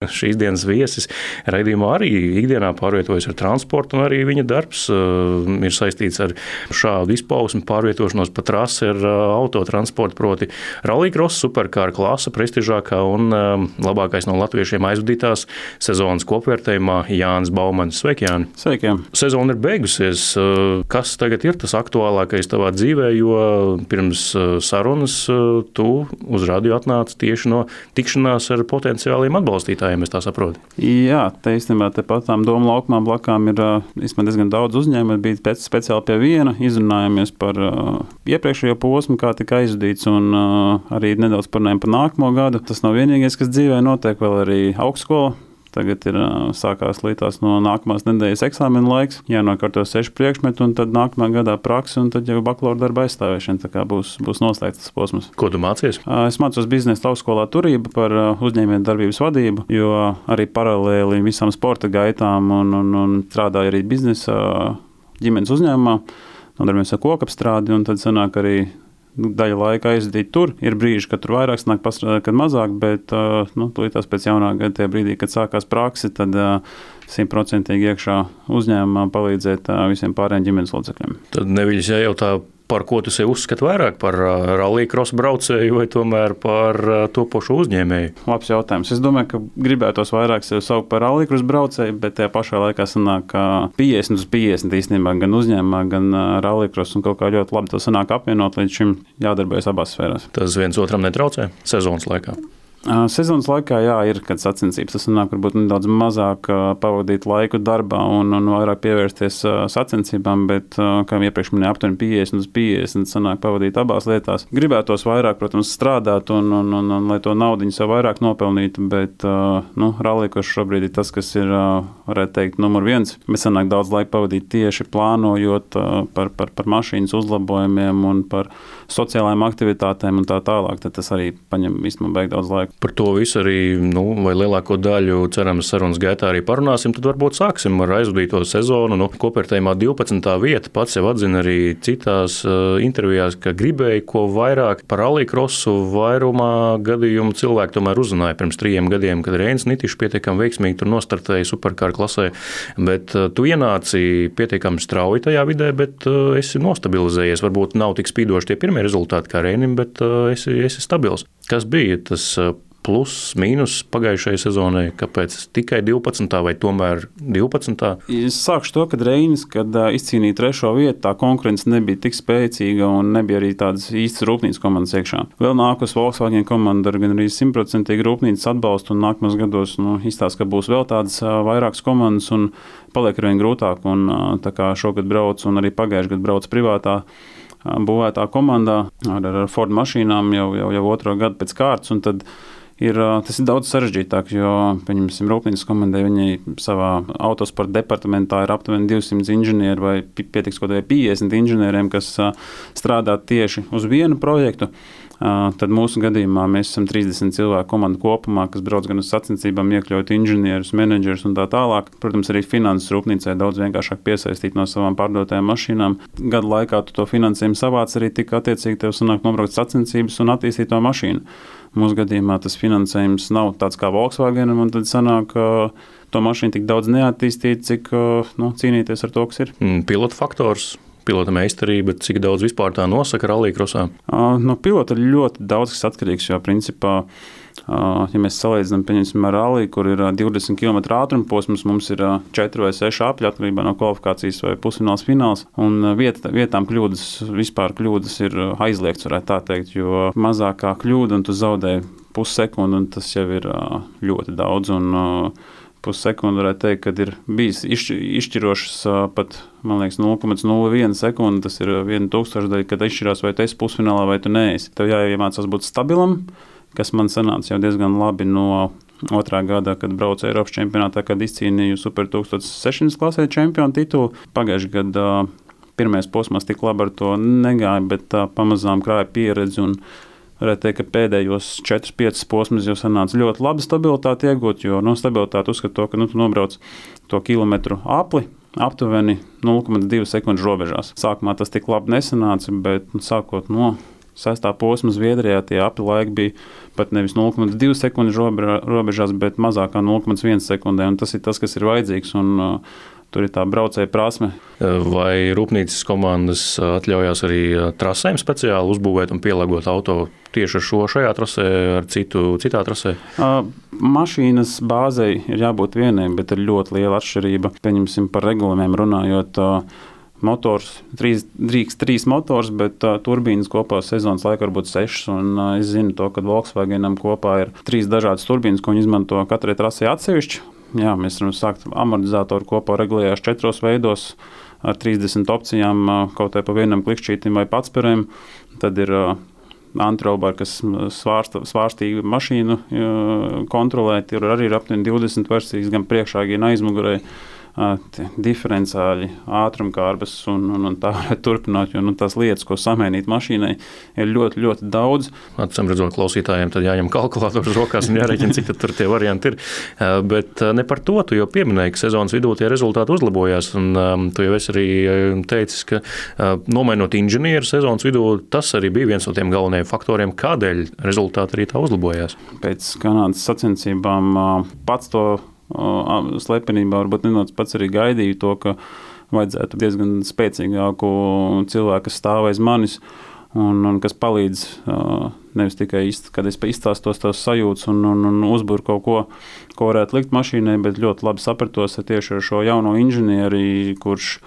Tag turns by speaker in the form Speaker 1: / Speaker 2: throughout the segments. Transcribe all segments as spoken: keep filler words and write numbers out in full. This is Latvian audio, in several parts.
Speaker 1: Šīs dienas viesis raidījumā arī ikdienā pārvietojas ar transportu, un arī viņa darbs uh, ir saistīts ar šādu izpausmu, pārvietošanos pa trasi ar uh, autotransportu, proti rallycross, superkāra klase, prestižākā un uh, labākais no latviešiem aizvadītās sezonas kopvērtējumā Jānis Baumanis. Sveiki, Jāni!
Speaker 2: Sveiki!
Speaker 1: Sezona ir beigusies. Uh, kas tagad ir tas aktuālākais tavā dzīvē, jo pirms uh, sarunas uh, tu uz radio atnāci tieši no tikšanās ar potenciāliem atbalstītājiem? Es tā saprotu.
Speaker 2: Jā, te īstenībā tepat tām Doma laukumā blakām ir īstenībā diezgan daudz uzņēmumu. Bija pēc speciāli pie viena, izrunājāmies par uh, iepriekšējo posmu, kā tika aizvadīts, un uh, arī nedaudz parunājām par nākamo gadu. Tas nav vienīgais, kas dzīvē notiek, vēl arī augstskola. Tagad ir sākās lītās no nākamās nedēļas eksāmena laiks, jānokārto seši priekšmeti, un tad nākamā gadā praksa, un tad jau bakalaura darba aizstāvēšana. Tā kā būs, būs noslēgts tas posms.
Speaker 1: Ko tu mācies?
Speaker 2: Es mācos biznesa augstskolā turību par uzņēmēju darbības vadību, jo arī paralēli visām sporta gaitām un, un, un strādāju arī biznesa ģimenes uzņēmumā, nodarbojamies ar kokapstrādi, un tad sanāk arī daļa laika aizdīt tur. Ir brīži, kad tur vairāk sanāk pastrādāt, kad mazāk, bet nu, tūlītās pēc jaunā gada tajā brīdī, kad sākās praksi, tad simtprocentīgi iekšā uzņēmumā palīdzēt visiem pārējiem ģimenes locekļiem.
Speaker 1: Tad neviļas jājautā, par ko tu sev uzskati vairāk, par rallycross braucēju vai tomēr par topošu uzņēmēju?
Speaker 2: Labs jautājums. Es domāju, ka gribētos vairāk sev saukt par rallycross braucēju, bet tajā pašā laikā sanāk piecdesmit uz piecdesmit īstenībā gan uzņēmumā, gan rallycross, un kaut kā ļoti labi to sanāk apvienot, līdz šim jādarbojas abās sfērās.
Speaker 1: Tas viens otram netraucē sezonas laikā?
Speaker 2: Sezonas laikā, jā, ir kāds sacensības. Tas nāk varbūt nedaudz mazāk pavadīt laiku darbā un, un vairāk pievērsties sacensībām, bet, kā iepriekš minēju, aptuveni piecdesmit uz piecdesmit sanāk pavadīt abās lietās. Gribētos vairāk, protams, strādāt un, un, un, un lai to naudiņu sev vairāk nopelnītu, bet, nu, rallycross šobrīd ir tas, kas ir, varētu teikt, numur viens. Mēs sanāk daudz laika pavadīt tieši plānojot par, par, par mašīnas uzlabojumiem un par sociālajām aktivitātēm un tā tālāk. Tad tas arī paņem vismaz beig daudz laika.
Speaker 1: Par to visu arī, nu, vai lielāko daļu, cerams, sarunas gaitā arī parunāsim, tad varbūt sāksim ar aizvadīto sezonu. Nu, kopvērtējumā divpadsmitā vieta, pats jau atzina arī citās uh, intervijās, ka gribēja ko vairāk par rallycrossu. Vairumā gadījumu cilvēki tomēr uzzināja pirms trījiem gadiem, kad Reinis Nitišs pietiekami veiksmīgi tur nostartēja superkāra klasē, bet uh, tu ienāci pietiekami strauji tajā vidē, bet uh, esi nostabilizējies. Varbūt nav tik spīdoši tie pirmie rezultāti kā Reinim, bet uh, esi, esi stabils. Kas bija tas uh, plus, mīnus pagājušajai sezonai, kāpēc tikai divpadsmitā vai tomēr divpadsmitā?
Speaker 2: Es sākšu to, kad Reinis, kad izcīnīja trešo vietu, tā konkurence nebija tik spēcīga un nebija arī tādas īstas rūpnīcas komandas iekšā. Vēl nākus Volkswagen komanda ar gan arī simtprocentīgi rūpnīcas atbalstu, un nākamās gados nu, izstāsta, ka būs vēl tādas vairākas komandas un paliek arvien grūtāk. Un, tā kā šogad brauc un arī pagājušajā gadā brauc privātā būvētā komandā ar, ar Ford mašīnām jau, jau, jau otro gadu pēc kārtas, un tad Ir, tas ir daudz sarežģītāk, jo, pieņemsim, rūpnīcas komandai viņai savā autosporta departamentā ir aptuveni divsimt inženieri vai pietiks kaut vai piecdesmit inženieriem, kas strādā tieši uz vienu projektu. Tad mūsu gadījumā mēs esam trīsdesmit cilvēku komanda kopumā, kas brauc gan uz sacensībām, iekļaut inženierus, menedžerus un tā tālāk. Protams, arī finanses rūpnīcai daudz vienkāršāk piesaistīt no savām pārdotajām mašīnām. Gadu laikā tu to finansējumu savāc, arī tik attiecīgi tev sanāk nobraukt sacensības un attīstīt to mašīnu. Mūsu gadījumā tas finansējums nav tāds kā Volkswagenam, un tad sanāk, ka to mašīnu tik daudz neattīstīt, cik nu, cīnīties ar to, kas ir.
Speaker 1: Pilota faktors. Pilota meistarība, cik daudz vispār tā nosaka rallycrossā?
Speaker 2: No pilota ir ļoti daudz kas atkarīgs, jo principā, ja mēs salīdzinām, pieņemsim, ar rally, kur ir divdesmit kilometru ātruma posms, mums ir četri vai seši apļi atkarībā no kvalifikācijas vai pusfināls, fināls, un viet, vietām kļūdas, vispār kļūdas ir aizliegts, varētu tā teikt, jo mazākā kļūda, un tu zaudē pussekundi, un tas jau ir ļoti daudz, un pussekundi varētu teikt, kad ir bijis izšķirošas pat, man liekas, nulle komats nulle viena sekundi, tas ir viena tūkstošdaļa, kad izšķirās, vai tu esi pusfinālā, vai tu neesi. Tev jāiemācās būt stabilam, kas man sanāca jau diezgan labi no otrā gadā, kad braucu Eiropas čempionātā, kad izcīnīju Super tūkstoš sešsimt klasē čempionu titulu. Pagājušajā gadā pirmais posmās tik labi ar to negāja, bet pamazām krāja pieredzi un varētu teikt, ka pēdējos četrus piecus posmus jau sanāca ļoti labi stabilitāti iegūt, jo no stabilitāti uzskat to, ka nu, tu nobrauc to kilometru apli, aptuveni nulle komats divi sekundžu robežās. Sākumā tas tik labi nesanāca, bet nu, sākot no sestā posma Zviedrijā tie apli laiki bija pat nevis nulle komats divi sekundes robežās, bet mazāk kā nulle komats viens sekundē. Un tas ir tas, kas ir vajadzīgs. Un, uh, Tur ir tā braucēja prasme.
Speaker 1: Vai rūpnīcas komandas atļaujās arī trasēm speciāli uzbūvēt un pielāgot auto tieši ar šo šajā trasē, ar citu citā trasē?
Speaker 2: Uh, mašīnas bāzei ir jābūt vienai, bet ir ļoti liela atšķirība. Pieņemsim par regulējumiem runājot. Uh, Motors, trīs, drīkst trīs motors, bet uh, turbīnas kopā sezonas laikā var būt sešas. Un, uh, es zinu to, ka Volkswagenam kopā ir trīs dažādas turbīnas, ko viņi izmanto katrai trasē atsevišķi. Jā, mēs varam sākt amortizatoru kopā regulējās četros veidos ar trīsdesmit opcijām, kaut vai pa vienam klikšķītim vai patsperēm. Tad ir uh, antrobari, kas svārsta, svārstīgu mašīnu uh, kontrolē. Tur arī ir aptuveni divdesmit versijas, gan priekšā, gan aizmugurē. Diferenciāļi, ātrumkārbas un, un, un tā varētu turpināt, jo nu, tās lietas, ko samainīt mašīnai, ir ļoti, ļoti daudz.
Speaker 1: Acīm redzot, klausītājiem tad jāņem kalkulators rokās un jārēķina, cik tur tie varianti ir. Bet ne par to, tu jau pieminēji, ka sezonas vidū tie rezultāti uzlabojās, un um, tu jau esi arī teicis, ka uh, nomainot inženieru sezonas vidū, tas arī bija viens no tiem galvenajiem faktoriem, kādēļ rezultāti arī tā uzlabojās.
Speaker 2: Pēc Kanādas sacensībām uh, pats to slepenībā varbūt nenoc pats arī gaidīju to, ka vajadzētu diezgan spēcīgāku cilvēku, kas stāv aiz manis un, un kas palīdz nevis tikai, kad es izstāstos tās sajūtas un, un, un uzburu kaut ko, ko varētu likt mašīnai, bet ļoti labi sapratos tieši ar šo jauno inženieri, kurš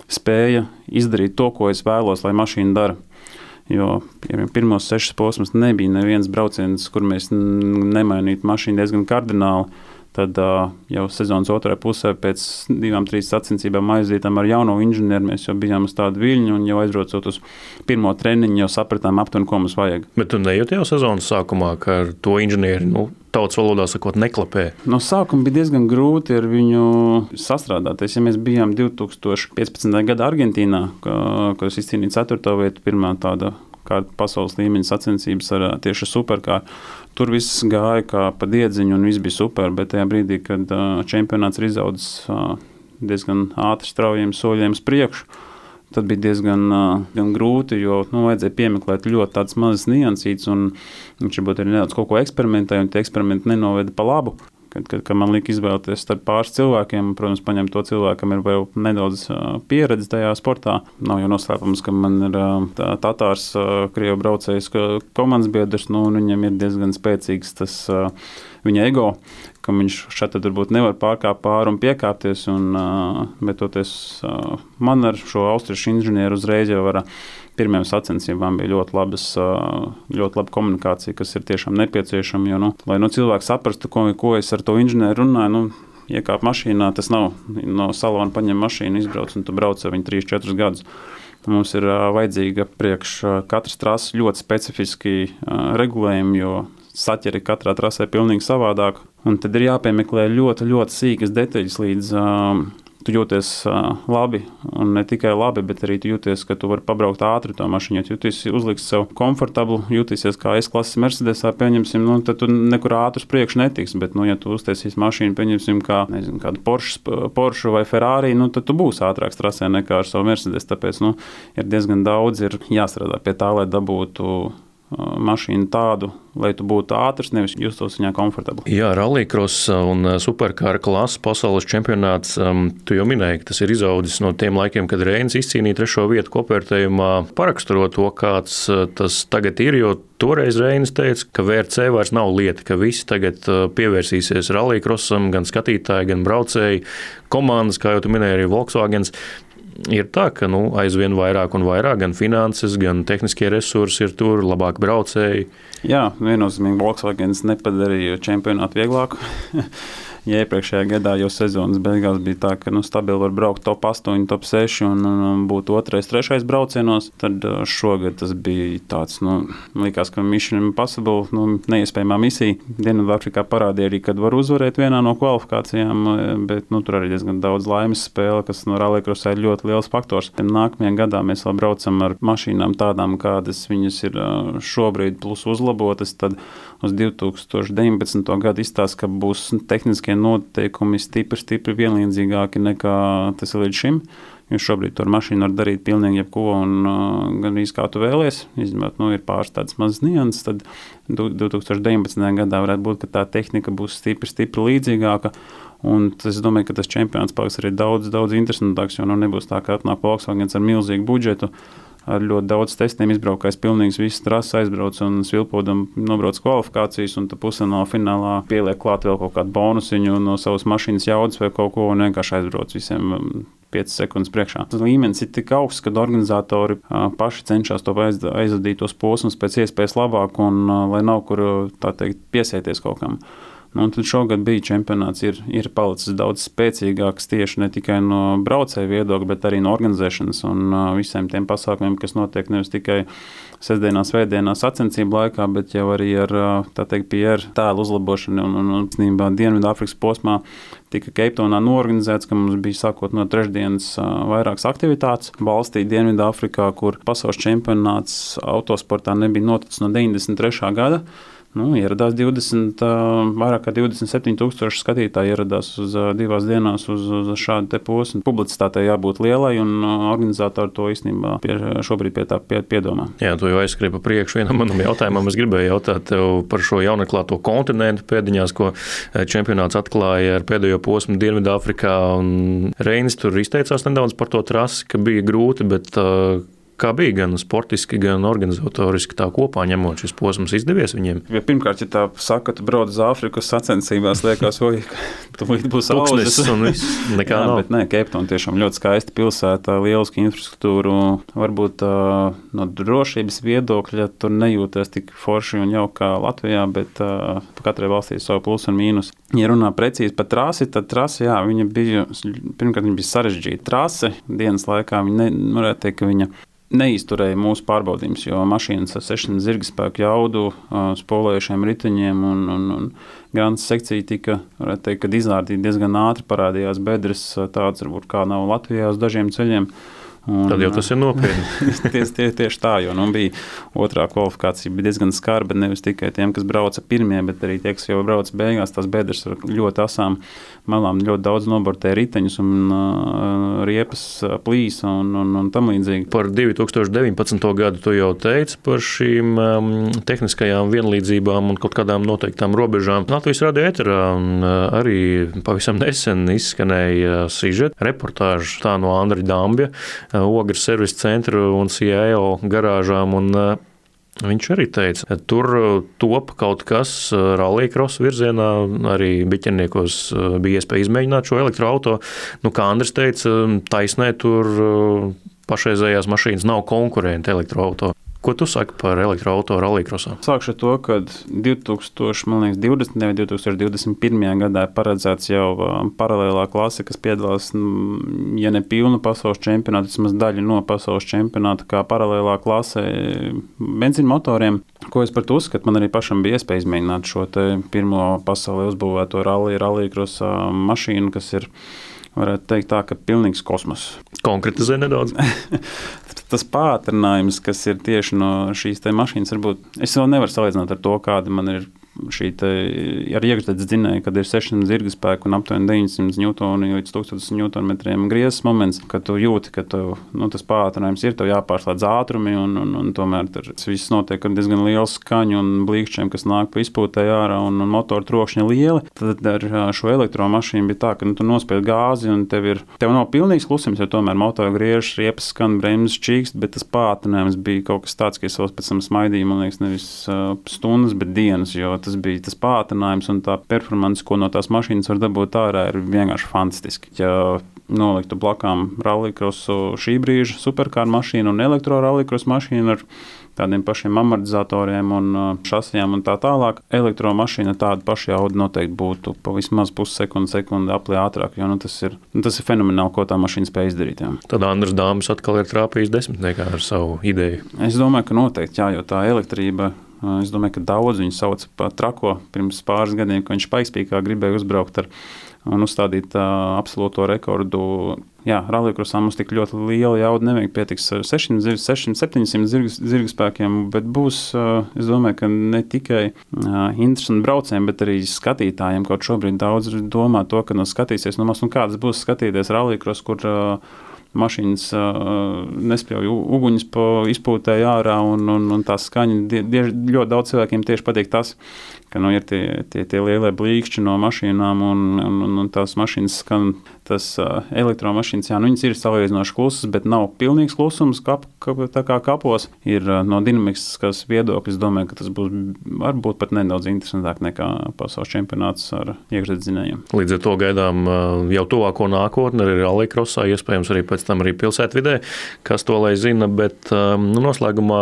Speaker 2: spēja izdarīt to, ko es vēlos, lai mašīna dara. Jo pirmos sešas posmas nebija neviens brauciens, kur mēs nemainītu mašīnu diezgan kardināli. Tad uh, jau sezonas otrajā pusē pēc divām, trīs sacensībām aizdītām ar jauno inženieri, mēs jau bijām uz tādu viļņu un jau aizbraucot uz pirmo treniņu, jau sapratām aptuveni, ko mums vajag.
Speaker 1: Bet tu nejūti jau sezonas sākumā, ka ar to inženieri, nu, tautas valodā sakot, neklapē?
Speaker 2: No sākuma bija diezgan grūti ar viņu sastrādāties. Ja mēs bijām divi tūkstoši piecpadsmitajā gadā Argentīnā, kad es izcīnīju ceturto vietu, pirmā tāda kāda pasaules līmeņa sacensības ar tieši superkāru. Tur viss gāja kā pa diedziņu un viss bija super, bet tajā brīdī, kad uh, čempionāts ir izaudzis uh, diezgan ātri straujiem soļiem uz priekšu, tad bija diezgan uh, gan grūti, jo nu, vajadzēja piemeklēt ļoti tādas mazas niansītes un viņš varbūt arī nedaudz kaut ko eksperimentēja un tie eksperimenti nenoveda pa labu. Kad, kad, kad man lika izvēlēties starp pāris cilvēkiem, protams, paņemt to cilvēkam ir vēl nedaudz uh, pieredze tajā sportā. Nav jau noslēpums, ka man ir uh, tā, Tatārs, uh, Krievu braucējs komandas biedrs, nu, un viņam ir diezgan spēcīgs tas uh, viņa ego, ka viņš šeit varbūt nevar pārkāpt pāri un piekāpties, un, uh, bet toties uh, man ar šo austriešu inženieru uzreiz jau var pirmajām sacensībām bija ļoti, labas, ļoti laba komunikācija, kas ir tiešām nepieciešama. Jo, nu, lai nu, cilvēks saprastu, ko, ko es ar to inženieru runāju, nu, iekāp mašīnā, tas nav no salona paņem mašīnu, izbrauc un tu brauc ar viņu trīs četrus gadus. Mums ir vajadzīga priekš katras trases ļoti specifiski regulējumi, jo saķeri katrā trasē pilnīgi savādāk. Un tad ir jāpiemeklē ļoti, ļoti sīkas detaļas līdz tu jūties uh, labi, un ne tikai labi, bet arī tu jūties, ka tu vari pabraukt ātri to mašīnu. Ja tu jūties uzliks sev komfortablu, jūtīsies kā S-klases Mercedesā, pieņemsim, nu, tad tu nekur ātri uz priekšu netiks, bet, nu, ja tu uztaisīs mašīnu, pieņemsim, kā, nezinu, kādu Porsche, Porsche vai Ferrari, nu, tad tu būsi ātrāks trasē nekā ar savu Mercedes, tāpēc, nu, ir diezgan daudz, ir jāstrādā pie tā, lai dabūtu mašīnu tādu, lai tu būtu ātrs, nevis justos viņā komfortabli.
Speaker 1: Jā, rallycross un superkāra klases pasaules čempionāts, um, tu jau minēji, ka tas ir izaudzis no tiem laikiem, kad Reinis izcīnīja trešo vietu kopvērtējumā. Paraksturo to, kāds tas tagad ir, jo toreiz Reinis teica, ka V R C vairs nav lieta, ka visi tagad pievērsīsies rallycrossam, gan skatītāji, gan braucēji, komandas, kā jau tu minēji, arī Volkswagens. Ir tā, ka nu, aizvien vairāk un vairāk gan finanses, gan tehniskie resursi ir tur, labāk braucēji.
Speaker 2: Jā, viennozīmīgi Volkswagens nepadarīja čempionātu vieglāku. Ja iepriekšējā gadā jau sezonas beigās bija tā, ka nu, stabili var braukt top astoņi, top seši un, un būt otrais, trešais braucienos, tad šogad tas bija tāds, nu, likās, ka Mission Impossible, nu, neiespējamā misija. Dienvidāfrikā parādīja arī, kad var uzvarēt vienā no kvalifikācijām, bet nu, tur arī diezgan daudz laimes spēle, kas no rallycrossā ir ļoti liels faktors. Nākamajā gadā mēs vēl braucam ar mašīnām tādām, kādas viņas ir šobrīd plus uzlabotas, tad uz divi tūkstoši deviņpadsmito gadu izstāsta, ka būs tehniskie noteikumi stipri, stipri vienlīdzīgāki nekā tas ir līdz šim. jo šobrīd tur mašīnu var darīt pilnīgi jebko un uh, gan arī kā tu vēlies, izņemot, nu, ir pāris tādas mazas nianses, tad divi tūkstoši deviņpadsmitajā gadā varētu būt, ka tā tehnika būs stipri, stipri līdzīgāka, un es domāju, ka tas čempionāts paliks arī daudz, daudz interesantāks, jo nu nebūs tā, ka atnāk Volkswagens ar milzīgu budžetu, ar ļoti daudz testiem izbraukājis, pilnīgs visas trases aizbrauc un svilpodam nobrauc kvalifikācijas un tad pusfinālā finālā pieliek klāt vēl kaut kādu bonusiņu no savas mašīnas jaudas vai kaut ko un vienkārši aizbrauc visiem piecas sekundes priekšā. Tas līmenis ir tik augsts, kad organizatori paši cenšas to aizvadīt tos posmus pēc iespējas labāk un lai nav kur, tā teikt, piesēties kaut kam. Nu, un tad šogad bija čempionāts, ir, ir palicis daudz spēcīgāks tieši ne tikai no braucēju viedokļa, bet arī no organizēšanas un uh, visiem tiem pasākumiem, kas notiek nevis tikai sestdienās, svētdienās sacensību laikā, bet jau arī ar, tā teikt, P R tēlu uzlabošanu un, un, un, un Dienvidāfrikas posmā tika Keiptonā noorganizēts, ka mums bija sākot no trešdienas uh, vairākas aktivitātes valstī Dienvidāfrikā, kur pasaules čempionāts autosportā nebija noticis no deviņdesmit trešā gada. Nu, ieradās divdesmit, vairāk kā divdesmit septiņi tūkstoši skatītāji ieradās uz divās dienās uz, uz šādu te posmu. Publicitātei jābūt lielai un organizatori to īstenībā pie, šobrīd pie tā pie, piedomā.
Speaker 1: Jā, tu jau aizskrēji pa priekšu vienam manam jautājumam. Es gribēju jautāt tev par šo jaunaklāto kontinentu pēdiņās, ko čempionāts atklāja ar pēdējo posmu Dienvidāfrikā. Un Reinis tur izteicās nedaudz par to trasi, ka bija grūti, bet kā bija gan sportiski, gan organizatoriski tā kopā ņemot šis posms izdevies viņiem?
Speaker 2: Ja pirmkārt, ja tā saka, tu brauc uz Āfrikas sacensībās, liekas, oj, tu būs
Speaker 1: audzes un viss, nekā
Speaker 2: Jā,
Speaker 1: nav.
Speaker 2: Bet nē, Keiptona tiešām ļoti skaista pilsēta, lieliski infrastruktūru, varbūt uh, no drošības viedokļa tur nejūties tik forši un jau kā Latvijā, bet uh, katrai valstī savu plus un mīnus. Ja runā precīzi par trasi, tad trasi, jā, viņa bija, pirmkārt, viņa bija sarežģīta trase dienas laikā, viņa ne, varētu teikt, ka viņa neizturēja mūsu pārbaudījumus, jo mašīnas ar sešsimt zirgspēku jaudu, spolējušiem riteņiem un, un, un grāmatas sekcija tika, varētu teikt, kad izrādīja diezgan ātri, parādījās bedres, tāds varbūt kā nav Latvijā uz dažiem ceļiem. Un,
Speaker 1: tad jau tas ir nopietni.
Speaker 2: tieši, tieši, tieši tā, jo nu, bija otrā kvalifikācija bija diezgan skarba, nevis tikai tiem, kas brauca pirmie, bet arī tie, kas jau brauca beigās, tās bedres ar ļoti asām malām, ļoti daudz nobortēja riteņus un uh, riepas plīsa un, un, un tam līdzīgi.
Speaker 1: Par divi tūkstoši deviņpadsmito gadu tu jau teici par šīm um, tehniskajām vienlīdzībām un kaut kādām noteiktām robežām. Latvijas radio ēterā uh, arī pavisam nesen izskanēja sižeta reportāža tā no Andra Dambja, Ogres servisa centra un C I O garāžām, un viņš arī teica, tur top kaut kas rallycross virzienā, arī biķerniekos bija iespēja izmēģināt šo elektroauto. Nu, kā Andris teica, taisnē tur pašreizējās mašīnas nav konkurenti elektroauto. Ko tu saki par elektroauto rallycrossā?
Speaker 2: Sākšu ar to, ka divi tūkstoši divdesmitajā vai divi tūkstoši divdesmit pirmajā gadā ir paredzēts jau paralēlā klase, kas piedalās, ja ne pilnu pasaules čempionātu, vismaz daļu no pasaules čempionāta, kā paralēlā klase benzīna motoriem. Ko es par to uzskatu? Man arī pašam bija iespēja izmēģināt šo te pirmo pasaulē uzbūvēto rally, rallycrossa mašīnu, kas ir, varētu teikt tā, ka pilnīgs kosmos.
Speaker 1: Konkretizē nedaudz.
Speaker 2: Tas pātrinājums, kas ir tieši no šīs te mašīnas, varbūt es vēl nevaru salīdzināt ar to, kāda man ir šī te ar iekšzemes dzinēju, kad ir sešsimt zirgspēku un aptuveni deviņsimt ņūtoni līdz tūkstotis ņūtonmetriem griezes moments, kad tu jūti, ka tu, nu, tas pātrinājums ir, tev jāpārslēdz ātrumi un, un, un tomēr tas viss notiek ar diezgan lielu skaņu un blīkšķiem, kas nāk pa izpūtē ārā un, un motoru trokšņa lieli. Tad ar šo elektromašīnu bija tā, ka nu, tu nospied gāzi un tev ir, tev nav pilnīgs klusums, jo tomēr motoru griež, riepas skan, bremzes čīkst, bet tas pātrinājums bija kaut kas tāds, ka es vēl pēc tam smaidīju, man liekas, nevis uh, stundas, bet dienas, jo tas bija tas pātrinājums un tā performance, ko no tās mašīnas var dabūt ārā, ir vienkārši fantastiski. Ja noliktu blakām rallycrossu šī brīža superkāru mašīnu un elektro rallycross mašīnu ar tādiem pašiem amortizatoriem un šasijām un tā tālāk, elektromašīna tāda paša jauda noteikti būtu pa vismaz pussekundi, sekundi aplī ātrāk, jo nu, tas, ir, nu, tas ir fenomenāli, ko tā mašīna spēj izdarīt. Jā.
Speaker 1: Tad Andris Dāmbis atkal ir trāpījis desmitniekā ar savu ideju.
Speaker 2: Es domāju, ka noteikti, jā, jo tā elektrība, es domāju, ka daudz viņu sauc pa trako pirms pāris gadiem, ka viņš Paikspīkā gribēja uzbraukt ar un uzstādīt uh, absolūto rekordu. Jā, rallycrossā mums tik ļoti liela jauda nevajag, pietiks ar sešsimt septiņsimt zirgspēkiem, bet būs, uh, es domāju, ka ne tikai uh, interesanti braucējiem, bet arī skatītājiem, kaut šobrīd daudz domā to, ka no skatīsies no mas, un kādas būs skatīties rallycross, kur uh, mašīnas nespļauj uguņus pa izpūtēju ārā, un, un, un tā skaņa. Die, ļoti daudz cilvēkiem tieši patīk tas, ka nu, ir tie, tie, tie lielie blīkšķi no mašīnām, un, un, un tās mašīnas skan, tas uh, elektromašīnas, jā, nu viņas ir salīdzinoši klusas, bet nav pilnīgs klusums, kap, kap, tā kā kapos. Ir uh, no dinamiskās viedokļa, es domāju, ka tas būs varbūt pat nedaudz interesantāk nekā pasaules čempionāts ar iekšzemes.
Speaker 1: Līdz ar to gaidām uh, jau tuvāko nākotni, arī rallycrossā, iespējams arī pēc tam arī pilsētvidē, kas to lai zina, bet um, nu, noslēgumā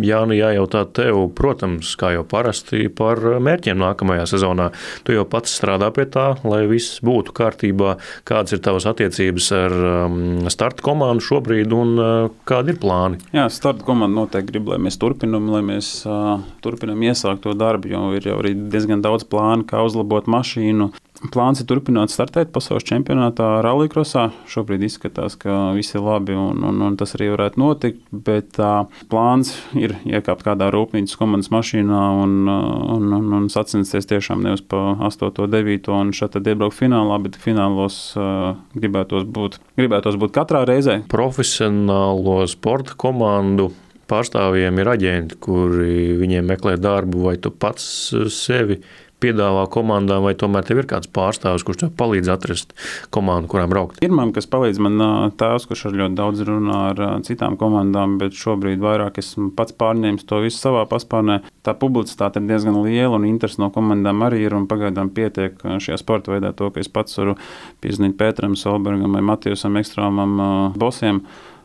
Speaker 1: Jāni jājautā tev, protams, kā jau parasti par mērķiem nākamajā sezonā. Tu jau pats strādā pie tā, lai viss būtu kārtībā. Kādas ir tavas attiecības ar um, starta komandu šobrīd un uh, kādi ir plāni?
Speaker 2: Jā, starta komanda noteikti grib, lai mēs turpinam, lai mēs uh, turpinam iesākt to darbu, jo ir jau arī diezgan daudz plānu, kā uzlabot mašīnu. Plāns ir turpināt startēt pasaules čempionātā rallycrossā. Šobrīd izskatās, ka viss ir labi un, un, un tas arī varētu notikt, bet uh, plāns ir iekāpt kādā rūpnīcas komandas mašīnā un, un, un, un sacensties tiešām nevis pa astoto, devīto un šeit tad iebraukt finālā, bet finālos uh, gribētos būt, gribētos būt katrā reizē.
Speaker 1: Profesionālo sporta komandu pārstāvjiem ir aģenti, kuri viņiem meklē darbu, vai tu pats sevi piedāvā komandām, vai tomēr tev ir kāds pārstāvis, kurš tev palīdz atrast komandu, kurām braukt?
Speaker 2: Ir man, kas palīdz man tēvs, kurš ar ļoti daudz runā ar citām komandām, bet šobrīd vairāk esmu pats pārņēmis to visu savā paspārnē. Tā publicitāte ir diezgan liela un interesi no komandām arī ir, un pagaidām pietiek šajā sporta veidā to, ka es pats varu piezvanīt Pēteram Solbergam vai Matijusam Ekstrāmam bosiem.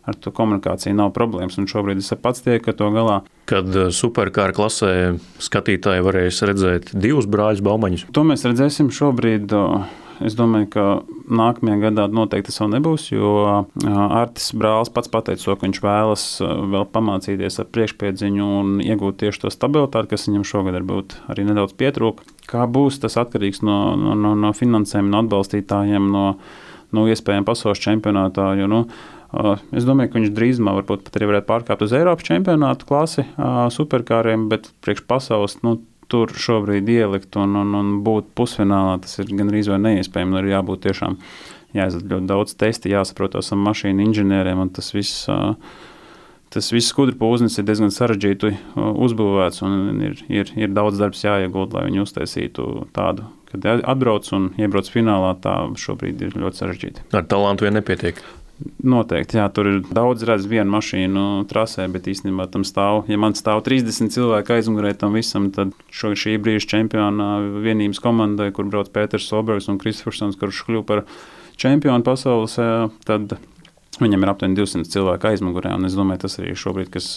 Speaker 2: Ar to komunikāciju nav problēmas, un šobrīd es pats tieku ar to galā.
Speaker 1: Kad superkāra klasē skatītāji varēs redzēt divus brāļus Baumaņus?
Speaker 2: To mēs redzēsim šobrīd. Es domāju, ka nākamajā gadā noteikti tas vēl nebūs, jo Artis brālis pats pateica to, ka viņš vēlas vēl pamācīties ar priekšpiedziņu un iegūt tieši to stabilitāti, kas viņam šogad varbūt arī nedaudz pietrūka. Kā būs, tas atkarīgs no, no, no finansēm, no atbalstītājiem, no, no iespējām pasaules čempionātā, jo, nu, es domāju, ka viņš drīzumā varbūt pat arī varētu pārkāpt uz Eiropas čempionātu klasi superkāriem, bet priekš pasaules, nu, tur šobrīd ielikt un, un, un būt pusfinālā, tas ir gandrīz vai neiespējami. Ir jābūt tiešām jāizdara ļoti daudz testi, jāsaprot esam mašīnu inženieriem, un tas viss, tas viss skudru pūznis ir diezgan sarežģīti uzbūvēts, un ir, ir, ir daudz darbs jāiegūt, lai viņi uztaisītu tādu. Kad atbrauc un iebrauc finālā, tā šobrīd ir ļoti sarežģīti.
Speaker 1: Ar talantu vien nepietiek.
Speaker 2: Noteikti, jā, tur ir daudz redz vienu mašīnu trasē, bet īstenībā tam stāv, ja man stāv trīsdesmit cilvēku aizmugurē tam visam, tad šo, šī brīža čempiona vienības komandai, kur brauc Pēters Solbergs un Kristofersons, kurš kļuva par čempionu pasaules, tad viņam ir aptuveni divsimt cilvēku aizmugurē, un es domāju, tas arī šobrīd, kas,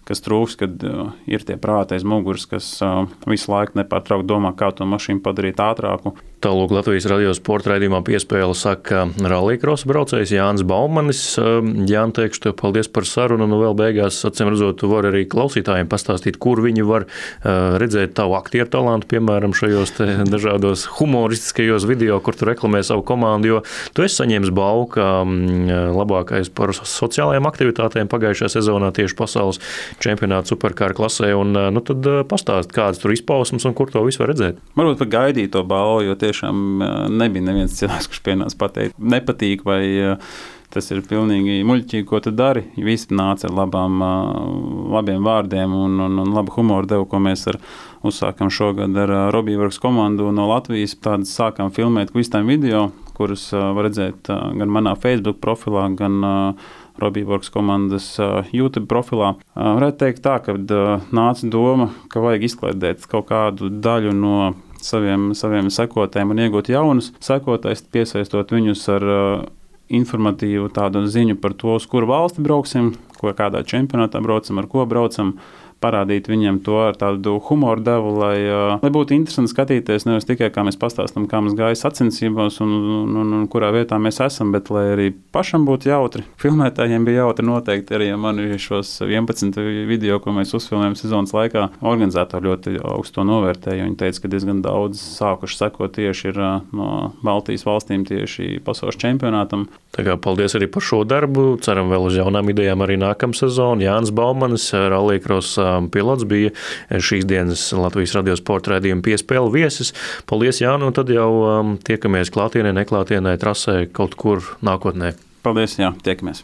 Speaker 2: kas trūks, kad ir tie prāti aiz muguras, kas visu laiku nepārtraukt domā, kā to mašīnu padarīt ātrāku.
Speaker 1: Tālūk Latvijas radio sporta raidījumā piespēle saka rallycross braucējs Jānis Baumanis. Jāni, teikšu tev paldies par sarunu, un vēl beigās, acīm redzot, tu vari arī klausītājiem pastāstīt, kur viņi var redzēt tavu aktieru talantu, piemēram, šajos te dažādos humoristiskajos video, kur tu reklamē savu komandu, jo tu esi saņēmis balvu kā labākais par sociālajām aktivitātēm pagājušajā sezonā tieši pasaules čempionāta superkāra klasē, un nu tad pastāst, kādas tur izpausmes un kur to visu var redzēt.
Speaker 2: Varbūt pat gaidīt to balvu, jo tiešām nebija neviens cilvēks, kurš pienāca pateikt, nepatīk vai tas ir pilnīgi muļķīgi, ko tu dari. Visi nāca ar labām, labiem vārdiem un, un, un labu humoru devu, ko mēs ar, uzsākam šogad ar Robīvorks komandu no Latvijas. Tādas sākām filmēt kvistām video, kurus var redzēt gan manā Facebook profilā, gan Robīvorks komandas YouTube profilā. Varētu teikt tā, ka nāca doma, ka vajag izklaidēt kaut kādu daļu no saviem, saviem sekotājiem un iegūt jaunus sekotājus, piesaistot viņus ar uh, informatīvu tādu ziņu par to, uz kuru valsti brauksim, ko kādā čempionātā braucam, ar ko braucam, parādīt viņiem to ar tādu humoru devu, lai, uh, lai būtu interesanti skatīties, nevis tikai kā mēs pastāstam, kā mums gāja sacensībās un, un, un, un kurā vietā mēs esam, bet lai arī pašam būtu jautri. Filmētājiem bija jautri noteikti arī, ja man ir šos vienpadsmit video, ko mēs uzfilmējam sezonas laikā, organizatori ļoti augstu to novērtēja. Viņi teica, ka diezgan daudz sākuši sekot tieši ir uh, no Baltijas valstīm tieši pasaules čempionātam.
Speaker 1: Tā kā paldies arī par šo darbu. Ceram vēl uz jaunām idejām arī nākamā sezona. Jānis Baumanis, rallycross pilots, bija šīs dienas Latvijas radio sporta raidījuma piespēle viesis. Paldies, Jāni, un tad jau tiekamies klātienē, neklātienē, trasē kaut kur nākotnē.
Speaker 2: Paldies, jā, tiekamies!